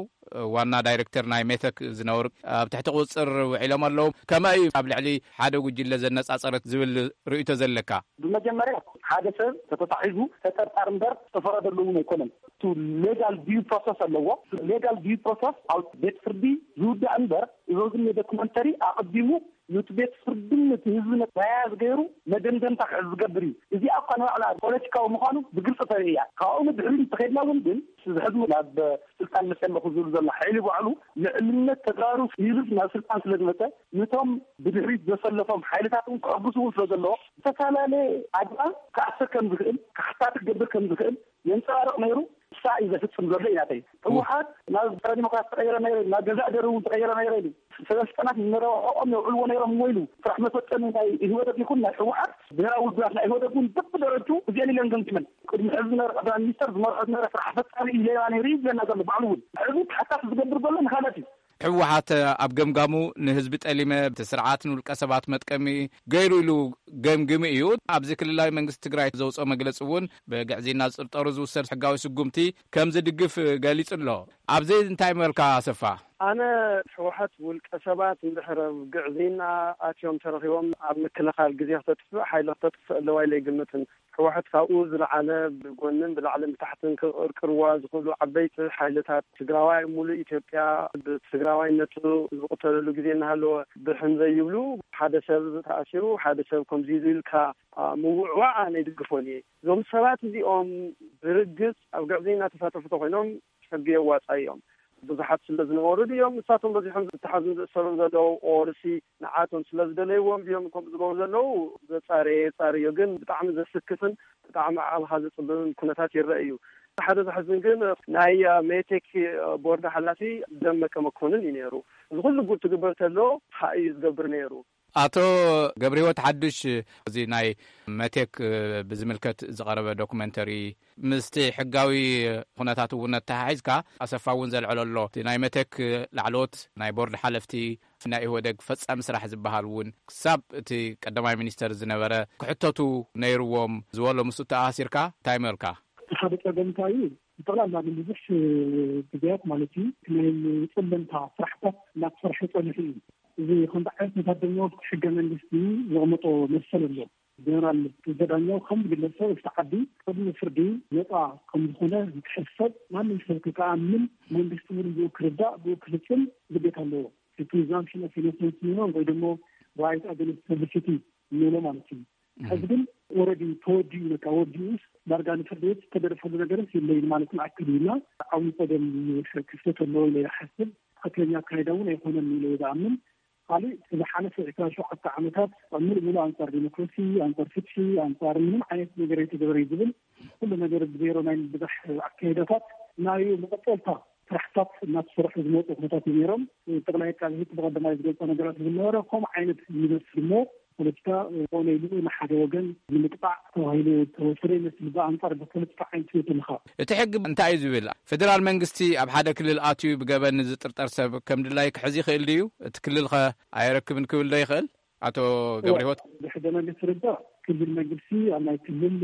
ዋና ዳይሬክተር ናይ ሜቴክ ዝነብር ኣብ ትሕቲ ቁፅፅር ውዒሎም ኣለዉ። ከመይ እዩ ኣብ ልዕሊ ሓደ ጉጅለ ዘነፃፀረት ዝብል ርእይቶ ዘለካ? ብመጀመርያ ሓደ ሰብ ተተታሒዙ ተጠርጣሪ እምበር ዝተፈረደሉ እውን ኣይኮነን። እቲ ሌጋል ዲዩ ፕሮሰስ ኣለዎ። ሌጋል ዲዩ ፕሮሰስ ኣብ ቤት ፍርዲ ዝውዳእ እምበር፣ እዚ ግን ዶክመንተሪ ኣቐዲሙ ነቲ ቤት ፍርድን ነቲ ህዝቢ መያያዝ ገይሩ መደምደምታ ክሕዝ ዝገብር እዩ። እዚኣ እኳ ንባዕላ ፖለቲካዊ ምዃኑ ብግልፂ ተርኢ እያ። ካብኡ ንድሕሪት እንተኸድና እውን ግን እዚ ሕዚ ናብ ስልጣን መፅእ ኣለኹ ዝብል ዘሎ ሓይሊ ባዕሉ ልዕልነት ተጋሩ ይብል ናብ ስልጣን ስለ ዝመፀ፣ ነቶም ብድሕሪት ዘሰለፎም ሓይልታት እውን ክዕግሱ እውን ስለ ዘለዎ ዝተፈላለየ ኣግባብ ክኣስር ከም ዝኽእል፣ ክሓታት ክገብር ከም ዝኽእል የንፀባርቕ ነይሩ። ንሳ እዩ ዘፍፅም ዘሎ እዩ ናተይ። ህወሓት ናብ ፀረ ዲሞክራሲ ተቐይረ ነይረ፣ ናብ ገዛእ ደሩ እውን ተቐይረ ነይረ ኢሉ። ሰበስልጣናት ንረብሕኦም የውዕልዎ ነይሮም እሞ ኢሉ ስራሕ መፈፀሚ ናይ ኢህወደግ ይኹን ናይ ህወሓት ብሄራዊ ውድባት ናይ ኢህወደግ እውን በብደረጅኡ እዚአን ኢለን ገምጊመን። ቅድሚ ሕዚ ዝነበረ ቀዳማይ ሚኒስተር ዝመርሖ ዝነበረ ስራሕ ፈፃሚ እዩ ሌባ ነይሩ እዩ ዝብለና ዘሎ ባዕሉ እውን። ሕዚ ተሓታቲ ዝገብር ዘሎ ንካላት እዩ። ህወሓት ኣብ ገምጋሙ ንህዝቢ ጠሊመ እቲ ስርዓት ንውልቀ ሰባት መጥቀሚ ገይሩ ኢሉ ገምግሙ እዩ። ኣብዚ ክልላዊ መንግስቲ ትግራይ ዘውፅኦ መግለፂ እውን ብግዕዝይና ዝጥርጠሩ ዝውሰድ ሕጋዊ ስጉምቲ ከም ዝድግፍ ገሊጹ ኣሎ። ኣብዚ እንታይ መልካ ኣሰፋ? ኣነ ህወሓት ውልቀ ሰባት እንድሕር ኣብ ግዕዝይና ኣትዮም ተረኺቦም ኣብ ምክልኻል ግዜ ክተጥፍእ ሓይሊ ክተጥፍእ ኣለዋ ኢለ ኣይግምትን። ህወሓት ካብኡ ዝለዓለ ብጎንን ብላዕልን ብታሕትን ክቕርቅርዋ ዝኽእሉ ዓበይቲ ሓይልታት ትግራዋይ ሙሉእ ኢትዮጵያ ብትግራዋይነቱ ዝቕተለሉ ግዜ እናሃለወ ብሕም ዘይብሉ ሓደ ሰብ ተኣሲሩ ሓደ ሰብ ከምዚ ኢሉ ኢልካ ምውዕዋዕ ኣነ ኣይድግፎን እየ። እዞም ሰባት እዚኦም ብርግፅ ኣብ ግዕዝይና ተሳተፉ ተኮይኖም ሕጊ የዋፃ እዮም። ብዙሓት ስለ ዝነበሩ ድዮም ንሳቶም በዚሖም ዝተሓዙን ዝእሰሩን ዘለዉ? ኦርሲ ንዓቶም ስለ ዝደለይዎም ድዮም ከምኡ ዝገብሩ ዘለዉ? ዘጻረየ የጻርዮ፣ ግን ብጣዕሚ ዘስክፍን ብጣዕሚ ዓቕልኻ ዘጽብብን ኩነታት ይረአ እዩ። ሓደ ዘሕዝን ግን ናይ ሜቴክ ቦርድ ሓላፊ ደመቀ መኮንን እዩ ነይሩ። እዚ ኩሉ ጉድ ትግበር ተሎ ሓ እዩ ዝገብር ነይሩ። ኣቶ ገብረህይወት ሓዱሽ፣ እዚ ናይ መቴክ ብዝምልከት ዝቐረበ ዶኩመንተሪ ምስቲ ሕጋዊ ኩነታት እውን ኣተሓሒዝካ ኣሰፋ እውን ዘልዐሎ ኣሎ። እቲ ናይ መቴክ ላዕለዎት ናይ ቦርድ ሓለፍቲ ናይ ኢህወደግ ፈጻሚ ስራሕ ዝበሃል እውን ክሳብ እቲ ቀዳማይ ሚኒስተር ዝነበረ ክሕተቱ ነይርዎም ዝበሎ ምስኡ ተኣሳሲርካ እንታይ መልካ? እቲ ሓደ ጸገም እንታይ እዩ? ብጠቕላላ ንብዙሕ ግዜያት ማለት እዩ ናይ ጽለምታ ስራሕታት እናተሰርሐ ጸኒሑ እዩ። እዚ ከምዚ ዓይነት ነታት ድማ ኣብቲ ሕገ መንግስቲ ዘቕመጦ መሰል ኣሎ። ጀነራል ክንፈ ዳኛው ከም ግለሰብ እቲ ዓዲ ቅድሚ ፍርዲ ነፃ ከም ዝኾነ ዝሕሰብ ማንም ሰብ ክኣምን መንግስቲ እውን ብኡ ክርዳእ ብኡ ክፍፅም ግዴታ ኣለዎ። እቲ presumption of innocence ንብሎ ወይ ደግሞ right against publicity ንብሎ ማለት እዩ። ሕዚ ግን ኦልሬዲ ተወዲኡ በቃ ወዲኡስ ዳርጋ ንፍርዲ ቤት ዝተገደፈሉ ነገርስ የለይን ማለት ንኣክል እዩ እና ዓብዪ ፀገም ክፍተት ኣለዎ ኢለ ይሓስብ። ትኽክለኛ ኣካይዳ እውን ኣይኮነን ኢለ ዝኣምን። ካልእ ዝሓለፈ ዕስራን ሸውዓተ ዓመታት ኣብ ምሉእ ምሉእ ኣንጻር ዲሞክራሲ፣ ኣንጻር ፍትሒ፣ ኣንጻር ምንም ዓይነት ነገር ኣይተገበረ እዩ ዝብል ኩሉ ነገር ብዜሮ ናይ ምብዛሕ ኣካይዳታት ናይ መቐጸልታ ስራሕታት እናተሰርሑ ዝመፁ ኩነታት እዩ ነይሮም። ጠቕላይ ኣቃቢ ሕጊ ብቐዳማይ ዝገልፆ ነገራት ዝነበረ ከምኡ ዓይነት ይመስል እሞ ፖለቲካ ኮነ ኢሉ ንሓደ ወገን ንምጥቃዕ ተባሂሉ ተወሰደ ይመስል። ብኣንጻር ብፖለቲካ ዓይነት ትብል ኣለኻ። እቲ ሕጊ እንታይ እዩ ዝብል? ፌደራል መንግስቲ ኣብ ሓደ ክልል ኣትዩ ብገበን ዝጥርጠር ሰብ ከም ድላይ ክሕዝ ይኽእል ድዩ? እቲ ክልል ኸ ኣየረክብን ክብል ዶ ይኽእል? ኣቶ ገብረ ህይወት። ብሕገ መንግስቲ ርዳ ክልል መንግስቲ ኣብ ናይ ክልል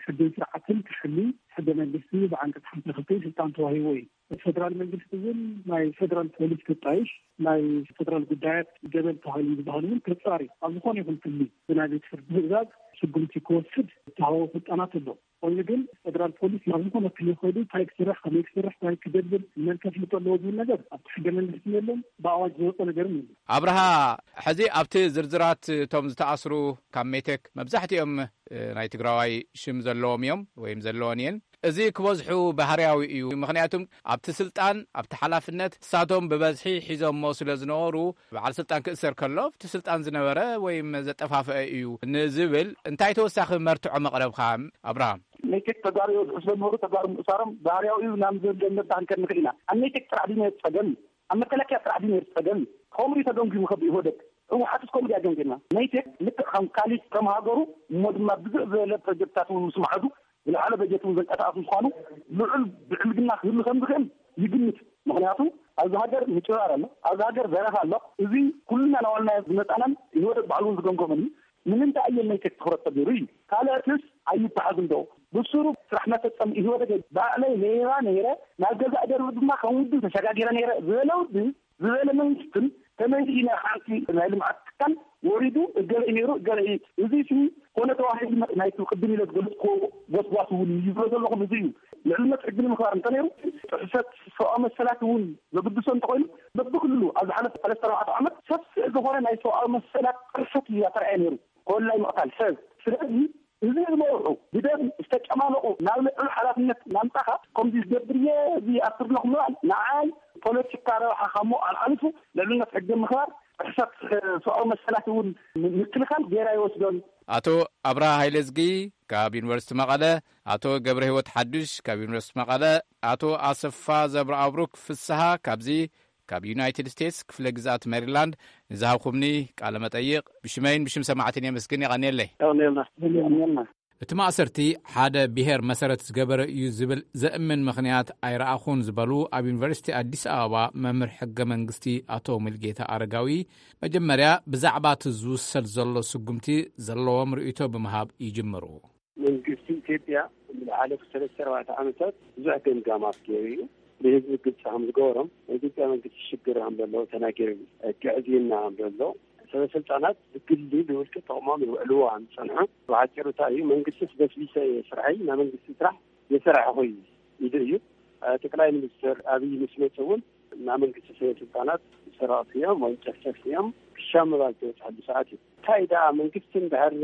ሕግን ስርዓትን ክሕሊ ሕገ መንግስቲ ብዓንቀፅ ሓምሳ ክልተ ስልጣን ተዋሂቦ እዩ። ፌደራል መንግስቲ እውን ናይ ፌደራል ፖሊስ ክጣይሽ ናይ ፌደራል ጉዳያት ገበን ተባሂሉ ዝበሃል እውን ክፃሪ ኣብ ዝኾነ ይኹን ክልል ብናይ ቤት ፍርዲ ትእዛዝ ስጉምቲ ክወስድ ዝተሃወ ስልጣናት ኣሎ። ኮይኑ ግን ፌደራል ፖሊስ ናብ ዝኾነ ክልል ከይዱ እንታይ ክስራሕ ከመይ ክስራሕ እንታይ ክገብር መን ከፍልጦ ኣለዎ ዝብል ነገር ኣብቲ ሕገ መንግስቲ የለን፣ ብኣዋጅ ዝወፀ ነገርም የለን። ኣብርሃ፣ ሕዚ ኣብቲ ዝርዝራት እቶም ዝተኣስሩ ካብ ሜቴክ መብዛሕትኦም ናይ ትግራዋይ ሽም ዘለዎም እዮም ወይም ዘለወን እየን። እዚ ክበዝሑ ባህርያዊ እዩ። ምኽንያቱም ኣብቲ ስልጣን ኣብቲ ሓላፍነት እሳቶም ብበዝሒ ሒዞሞ ስለ ዝነበሩ በዓል ስልጣን ክእሰር ከሎ ኣብቲ ስልጣን ዝነበረ ወይም ዘጠፋፍአ እዩ ንዝብል እንታይ ተወሳኺ መርትዖ መቕረብካ ኣብርሃም? ሜቴክ ተጋሩ እዮም ዝሕስበ ነበሩ። ተጋሩ ምእሳሮም ባህርያዊ እዩ ናብ ዘብል መዳህ ንከድ ንኽእል ኢና። ኣብ ሜቴክ ጥራሕ ድዩ ነይሩ ጸገም? ኣብ መከላከያ ጥራሕ ድዩ ነይሩ ጸገም? ከምኡ እዩ ተገምጊሙ ከብ ኢህወደግ። ህወሓትስ ከምኡ ድያ ገምጊማ? ሜቴክ ልክዕ ከም ካሊድ ከም ሃገሩ እሞ ድማ ብዙሕ ዝበለ ፕሮጀክትታት እውን ምስ ማዕዱ ዝለዓለ በጀት እውን ዘንቀሳቐሱ ምዃኑ ልዑል ብዕልግና ክህሉ ከም ዝኽእል ይግምት። ምኽንያቱ ኣብዚ ሃገር ምጭራር ኣሎ፣ ኣብዚ ሃገር ዘረፋ ኣሎ። እዚ ኩልና ናባልና ዝመፃናን ኢህወደግ ባዕሉ እውን ዝገምገመን እዩ። ንምንታይ ኣየናይ ቴክ ትኹረት ተገይሩ እዩ? ካልኦትስ ኣይበሓዝን ዶ? ብሱሩ ስራሕ መፈጸሚ ኢህወደግ ባዕለይ ሌባ ነይረ፣ ናብ ገዛእ ደርቢ ድማ ከም ውድብ ተሸጋጊረ ነይረ ዝበለ ውድብ ዝበለ መንግስትን ከመይ ኢና ሓንቲ ናይ ልምዓት ትካል ወሪዱ እገለ እዩ ነይሩ እገለ እዩ። እዚ ሲ ኮነ ተባሂሉ ናይቲ ቅድም ኢለ ዝገለጽኩዎ ጎስጓስ እውን ይብሎ ዘለኹም እዚ እዩ። ልዕልነት ሕጊ ንምኽባር እንተነይሩ ጥሕሰት ሰብኣዊ መሰላት እውን ዘግድሶ እንተኾይኑ በብክልሉ ኣብ ዝሓለፈ ሰለስተ ኣርባዕተ ዓመት ሰፊሕ ዝኾነ ናይ ሰብኣዊ መሰላት ጥርሰት እዩ ኣተርኣየ ነይሩ። ኮላይ ምቕታል ሰብ። ስለዚ እዚ ዝመርሑ ብደም ዝተጨማለቑ ናብ ልዑል ሓላፍነት ናምጻኻ ከምዚ ዝገብር እየ እዚ ኣስር ኣለኹ ምባል ንዓይ ፖለቲካ ረብሓ ካብ ምውዓል ሓሊፉ ልዕልነት ሕጊ ምኽባር ጥሕሰት ሰብኣዊ መሰላት እውን ምክልኻል ገይራ ይወስዶን። ኣቶ ኣብርሃ ሃይለዝጊ ካብ ዩኒቨርሲቲ መቐለ፣ ኣቶ ገብረ ህይወት ሓዱሽ ካብ ዩኒቨርሲቲ መቐለ፣ ኣቶ ኣሰፋ ዘብረኣብሩክ ፍስሃ ካብዚ ካብ ዩናይትድ ስቴትስ ክፍለ ግዝኣት ሜሪላንድ ንዝሃብኩምኒ ቃለ መጠይቕ ብሽመይን ብሽም ሰማዕትን የመስግን። የቐንየለይ። የቐንየልና። የቐንየልና። እቲ ማእሰርቲ ሓደ ብሄር መሰረት ዝገበረ እዩ ዝብል ዘእምን ምኽንያት ኣይረኣኹን ዝበሉ ኣብ ዩኒቨርሲቲ ኣዲስ ኣበባ መምህር ሕገ መንግስቲ ኣቶ ሙልጌታ ኣረጋዊ፣ መጀመርያ ብዛዕባ እቲ ዝውሰድ ዘሎ ስጉምቲ ዘለዎም ርእይቶ ብምሃብ ይጅምሩ። መንግስቲ ኢትዮጵያ ዝሓለፉ ሰለስተ ኣርባዕተ ዓመታት ብዙሕ ገምጋማት ገይሩ እዩ። ንህዝቢ ግልፂ ከም ዝገበሮም ናይ ኢትዮጵያ መንግስቲ ሽግር ከም ዘለዎ ተናጊሩ እዩ። ግዕዝይና ከም ዘሎ ሰበ ስልጣናት ብግሊ ብውልቂ ጥቕሞም ይውዕልዎ ከም ዝፀንሑ ብሓፂሩ እንታይ እዩ መንግስቲስ በስቢሰ እየ ስርሐይ ናይ መንግስቲ ስራሕ የሰራሕኹ እዩ ኢሉ እዩ። ጠቅላይ ሚኒስትር ኣብይ ምስ መፁ እውን ናይ መንግስቲ ሰበ ስልጣናት ሰረቕቲ እዮም ወይም ጨፍጨፍቲ እዮም ክሻ ምባል ዝበፅሐሉ ሰዓት እዩ። እንታይ ደኣ መንግስቲ እንድሕር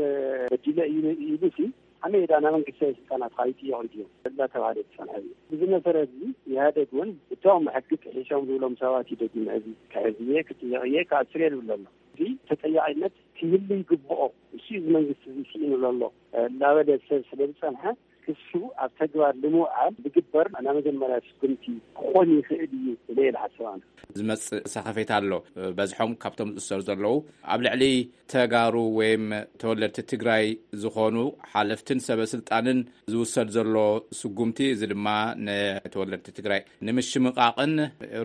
በዲለ እዩ ኢሉ ሲ ከመይ ደኣ ናይ መንግስቲ ሰበ ስልጣናት ከይጥየቑ ድዮም እናተባህለ ዝፀንሐ እዩ። ብዚ መሰረት እዚ ኢህኣደግ እውን እቶም ሕጊ ጥሒሶም ዝብሎም ሰባት እዩ ደጊመ እዚ ክሕዝ እየ ክጥየቕ እየ ክኣስር እየ ዝብል ዘሎ። እዚ ተጠያቂነት ክህሉ ይግብኦ። እሱ እዚ መንግስቲ እዚ ስኢኑ ዘሎ እናበለ ሰብ ስለ ዝፀንሐ እሱ ኣብ ተግባር ንምውዓል ዝግበር ናይ መጀመርያ ስጉምቲ ክኾን ይኽእል እዩ ኢለ እየ ዝሓስብ ኣነ። ዝመጽእ ሰኸፌት ኣሎ። በዝሖም ካብቶም ዝእሰሩ ዘለዉ ኣብ ልዕሊ ተጋሩ ወይም ተወለድቲ ትግራይ ዝኾኑ ሓለፍትን ሰበ ስልጣንን ዝውሰድ ዘሎ ስጉምቲ፣ እዚ ድማ ንተወለድቲ ትግራይ ንምሽምቓቕን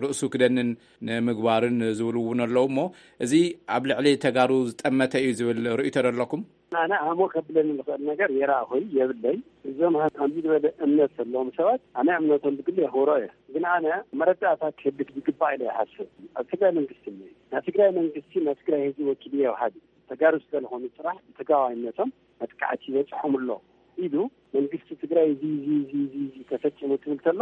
ርእሱ ክደንን ንምግባርን ዝብሉ እውን ኣለዉ። እሞ እዚ ኣብ ልዕሊ ተጋሩ ዝጠመተ እዩ ዝብል ርእይቶ ዶ ኣለኩም? ኣነ ኣሞ ከብለኒ ዝኽእል ነገር የራእኹይ የብለይ። እዞም ሃ-፣ ከምዚ ዝበለ እምነት ዘለዎም ሰባት ኣነ እምነቶም ብግሊ የኽብሮ እየ። ግን ኣነ መረዳእታ ክህልክ ዝግባእ ኢለ ይሓስብ። ኣብ ትግራይ መንግስቲ እኒኦ። ናይ ትግራይ መንግስቲ ናይ ትግራይ ህዝቢ ወኪል እየ ወሃቢ። ተጋሩ ስለዝኾኑ ጥራሕ ብትግራዋይነቶም መጥቃዕቲ ይበፅሖም ኣሎ ኢሉ መንግስቲ ትግራይ እዚ፣ እዚ፣ እዚ፣ እዚ፣ እዚ ተፈፂሙ ትብል ተሎ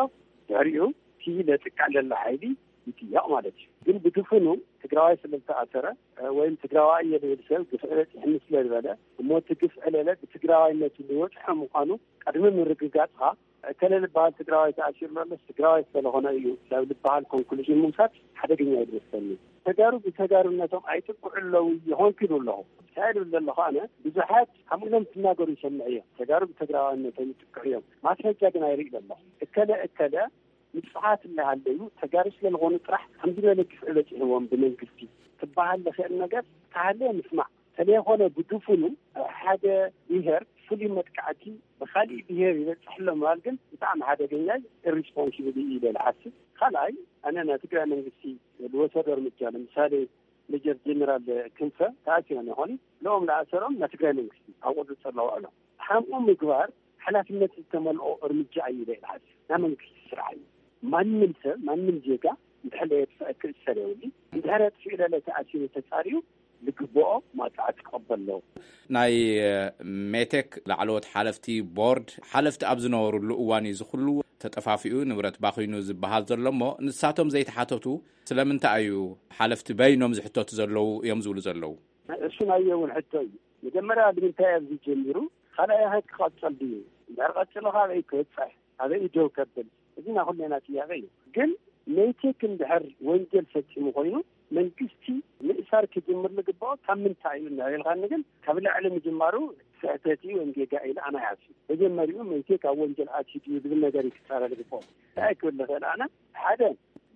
ድሕሪኡ እቲ ለጥቃዕ ዘሎ ሓይሊ ይጥየቕ ማለት እዩ። ግን ብድፍኑ ትግራዋይ ስለ ዝተኣሰረ፣ እ፣ ወይም ትግራዋይ እየ ዝብል ሰብ ግፍዒ በፂሕኒ ስለ ዝበለ፣ እሞ እቲ ግፍዒ ለለ ብትግራዋይነቱ ዝወፅሐ ምዃኑ ቅድሚ ምርግጋፅኻ፣ እከለ ዝበሃል ትግራዋይ ተኣሲሩ ኣሎ፣ ትግራዋይ ስለዝኾነ እዩ ናብ ዝበሃል ኮንክሉዥን ምውሳድ ሓደገኛ እዩ ዝመስለኒ። ተጋሩ ብተጋሩነቶም ኣይጥቅዑ ኣለዉ ይኾንኩ ይብል ኣለኹ። እንታይ ይብል ዘለኹ ኣነ፣ ብዙሓት ከምኡ ኢሎም ትናገሩ ይሰምዕ እዮም። ተጋሩ ብተግራዋይነቶም ይጥቅዑ እዮም። ማስረጃ ግን ኣይርኢ ዘለኹ። እከለ እከለ ንጹሃት እናሃለዩ ተጋሩ ስለዝኾኑ ጥራሕ ከምዚ ዝበለ ግፍዒ በፂሕዎም ብመንግስቲ ክበሃል ዝኽእል ነገር ተሃለየ ምስማዕ። ስለዝኾነ ብድፉኑ ሓደ ብሄር ፍሉይ መጥቃዕቲ ብኻሊእ ብሄር ይበፅሕ ኣሎ ምባል ግን ብጣዕሚ ሓደገኛ ኢሪስፖንሲብል እዩ ኢለ ዝሓስብ። ካልኣይ ኣነ ናይ ትግራይ መንግስቲ ዝወሰዶ እርምጃ ንምሳሌ ሜጀር ጀነራል ክንፈ ተኣሲሮም ይኾኑ። ንኦም ዝኣሰሮም ናይ ትግራይ መንግስቲ ኣብ ቁፅፅር ኣለዎ ኣሎ። ሓምኡ ምግባር ሓላፍነት ዝተመልኦ እርምጃ እዩ ኢለ ይሓስብ። ናይ መንግስቲ ስራሕ እዩ። ማንም ሰብ ማንም ዜጋ እንድሕር የጥፍአ ክእሰር የብሉ። እንድሕር ኣጥፊኡ ለለ ተኣሲሩ ተፃሪዩ ዝግብኦ ማፅዓት ክቐበል ኣለዎ። ናይ ሜቴክ ላዕለዎት ሓለፍቲ ቦርድ ሓለፍቲ ኣብ ዝነበሩሉ እዋን እዩ ዝኹሉ ተጠፋፊኡ ንብረት ባኺኑ ዝበሃል ዘሎ እሞ ንሳቶም ዘይተሓተቱ ስለምንታይ እዩ ሓለፍቲ በይኖም ዝሕተቱ ዘለዉ እዮም ዝብሉ ዘለዉ? እሱ ናይ እውን ሕቶ እዩ። መጀመርያ ንምንታይ ኣብዚ ጀሚሩ ካልኣይ ኸ ክቐፅል ድዩ? እንድሕር ቀፂሉ ካበይ ክበፅሕ ኣበይ ደው ከብል? እዚ ናይ ኩሌና ጥያቄ እዩ። ግን ሜቴክ እንድሕር ወንጀል ፈፂሙ ኮይኑ መንግስቲ ምእሳር ክጅምር ዝግባኦ ካብ ምንታይ እዩ እናበልካኒ ግን ካብ ላዕሊ ምጅማሩ ስሕተት እዩ ወይም ጌጋ ኢለ ኣነ ይሓስብ። መጀመሪኡ ሜቴክ ኣብ ወንጀል ኣትዩ ድዩ ዝብል ነገር እዩ ክፃረ ዝግባኦ። እንታይ ክብል ዝኽእል ኣነ ሓደ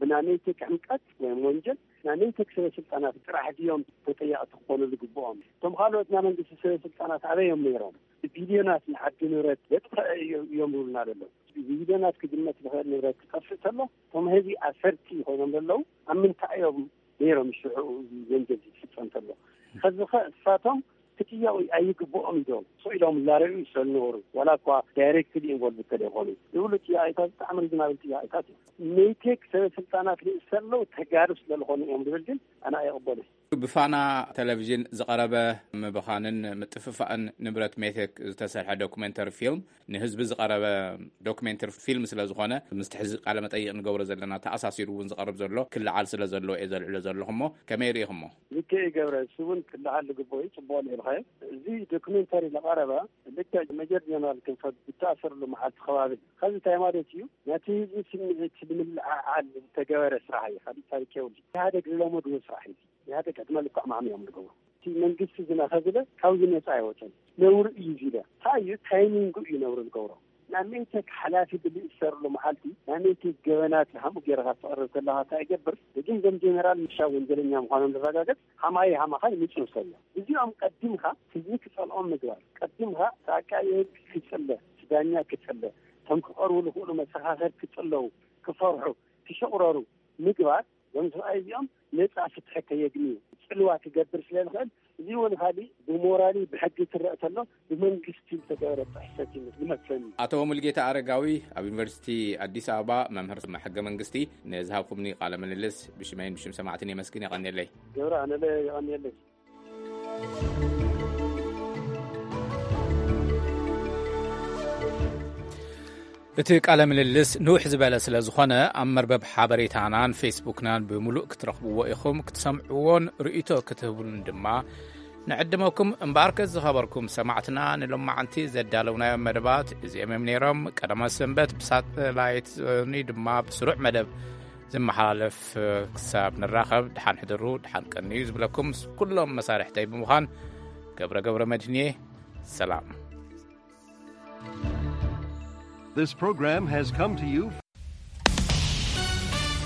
ብናይ ሜቴክ ሕምቀት ወይም ወንጀል ናይ ሜቴክ ሰበ ስልጣናት ጥራሕ ድዮም ተጠያቕቲ ክኾኑ ዝግብኦም? እቶም ካልኦት ናይ መንግስቲ ሰበ ስልጣናት ኣበይ እዮም ነይሮም? ብቢልዮናት ንዓዲ ንብረት ዘጥፈአ እዮም ይብሉና ዘለዉ። ብቢልዮናት ክግመት ዝኽእል ንብረት ክጠፍእ ከሎ እቶም ህዝቢ ኣሰርቲ ኮይኖም ዘለዉ ኣብ ምንታይ እዮም ነይሮም ሽዑ እዚ ወንጀል ዝፍፀም ከሎ? ከዚ ኸ እሳቶም ክጥየቑ ኣይግብኦም እዮም። ስቕ ኢሎም እናረኣዩ ይሰሉ ነበሩ። ዋላ እኳ ዳይሬክትሊ ኢንቮልቭ እንተደይኮኑ ዝብሉ ጥያቄታት ብጣዕሚ ሪዝናብል ጥያቄታት እዮም። ሜቴክ ሰበ ስልጣናት ዝእሰሩ ዘለዉ ተጋሩ ስለዝኾኑ እዮም ዝብል ግን ኣነ ኣይቕበሉን። ብፋና ቴሌቪዥን ዝቐረበ ምብኻንን ምጥፍፋእን ንብረት ሜቴክ ዝተሰርሐ ዶኩሜንተሪ ፊልም ንህዝቢ ዝቐረበ ዶኩሜንተሪ ፊልም ስለ ዝኾነ ምስቲ ሕዚ ቃለ መጠይቕ ንገብሮ ዘለና ተኣሳሲሩ እውን ዝቐርብ ዘሎ ክለዓል ስለ ዘለዎ እየ ዘልዕሎ ዘለኹ እሞ ከመይ ርኢኹሞ? ልክዕ ገብረ እሱ እውን ክለዓል ዝግብኦ እዩ። ፅቡቕ ልዒልካዮ። እዚ ዶኩሜንተሪ ዝቐረበ ልክዕ ሜጀር ጀነራል ክንፈ ብተኣሰረሉ መዓልቲ ከባቢ እዩ። ከዚ እንታይ ማለት እዩ? ነቲ ህዝቢ ስምዒት ንምልዕዓል ዝተገበረ ስራሕ እዩ። ካልእ ታሪክ የብሉ። ኢህኣደግ ዝለመድዎ ስራሕ እዩ። ኢህኣደግ ዕድመ ልክዕ ማዕሚ እዮም ዝገብሩ። እቲ መንግስቲ ዝና ከዝለ ካብዚ ነፃ ኣይወፅን። ነውሪ እዩ እዚ ኢለ። እንታይ እዩ? ታይሚንጉ እዩ ነውሪ ዝገብሮ። ናይ ሜቴክ ሓላፊ ብዝእሰርሉ መዓልቲ ናይ ሜቴክ ገበናት ሃምኡ ገይርካ ትቐርብ ከለኻ እንታይ ይገብር? እዞም ጀነራል ምሻ ወንጀለኛ ምዃኖም ዝረጋገፅ ሃማይ ሃማኻ ይምፅኡ ሰብ እዮም። እዚኦም ቀዲምካ ህዝቢ ክፀልኦም ምግባር፣ ቀዲምካ እቲ ኣቃቢ ህግ ክፅለ፣ እቲ ዳኛ ክፅለ፣ እቶም ክቐርቡ ዝኽእሉ መሰኻኽር ክፅለዉ፣ ክፈርሑ፣ ክሽቑረሩ ምግባር እዞም ሰብኣይ እዚኦም ነፃ ፍትሒ ከየግንዩ ፅልዋ ክገብር ስለ ዝኽእል እዚ እውን ካሊእ ብሞራሊ ብሕጊ ክረእ ተሎ ብመንግስቲ ዝተገበረ ጥሕሰት እዩ ዝመስለኒ። ኣቶ ሙልጌታ ኣረጋዊ ኣብ ዩኒቨርሲቲ ኣዲስ ኣበባ መምህር ሕገ መንግስቲ ንዝሃብኩምኒ ቃለ ምልልስ ብሽመይን ብሽም ሰማዕትን የመስግን። የቐንየለይ። ገብረ ኣነለ የቐንየለይ። እቲ ቃለ ምልልስ ንውሕ ዝበለ ስለ ዝኾነ ኣብ መርበብ ሓበሬታናን ፌስቡክናን ብምሉእ ክትረኽብዎ ኢኹም። ክትሰምዕዎን ርእይቶ ክትህቡን ድማ ንዕድመኩም። እምበኣርከስ ዝኸበርኩም ሰማዕትና ንሎማዓንቲ ዘዳለውናዮም መደባት እዚኦም እዮም ነይሮም። ቀዳማት ሰንበት ብሳተላይት ዞኒ ድማ ብስሩዕ መደብ ዝመሓላለፍ። ክሳብ ንራኸብ ደሓን ሕድሩ፣ ደሓን ቀንዩ ዝብለኩም ምስ ኩሎም መሳርሕተይ ብምዃን ገብረ ገብረ መድህንየ ሰላም። This program has come to you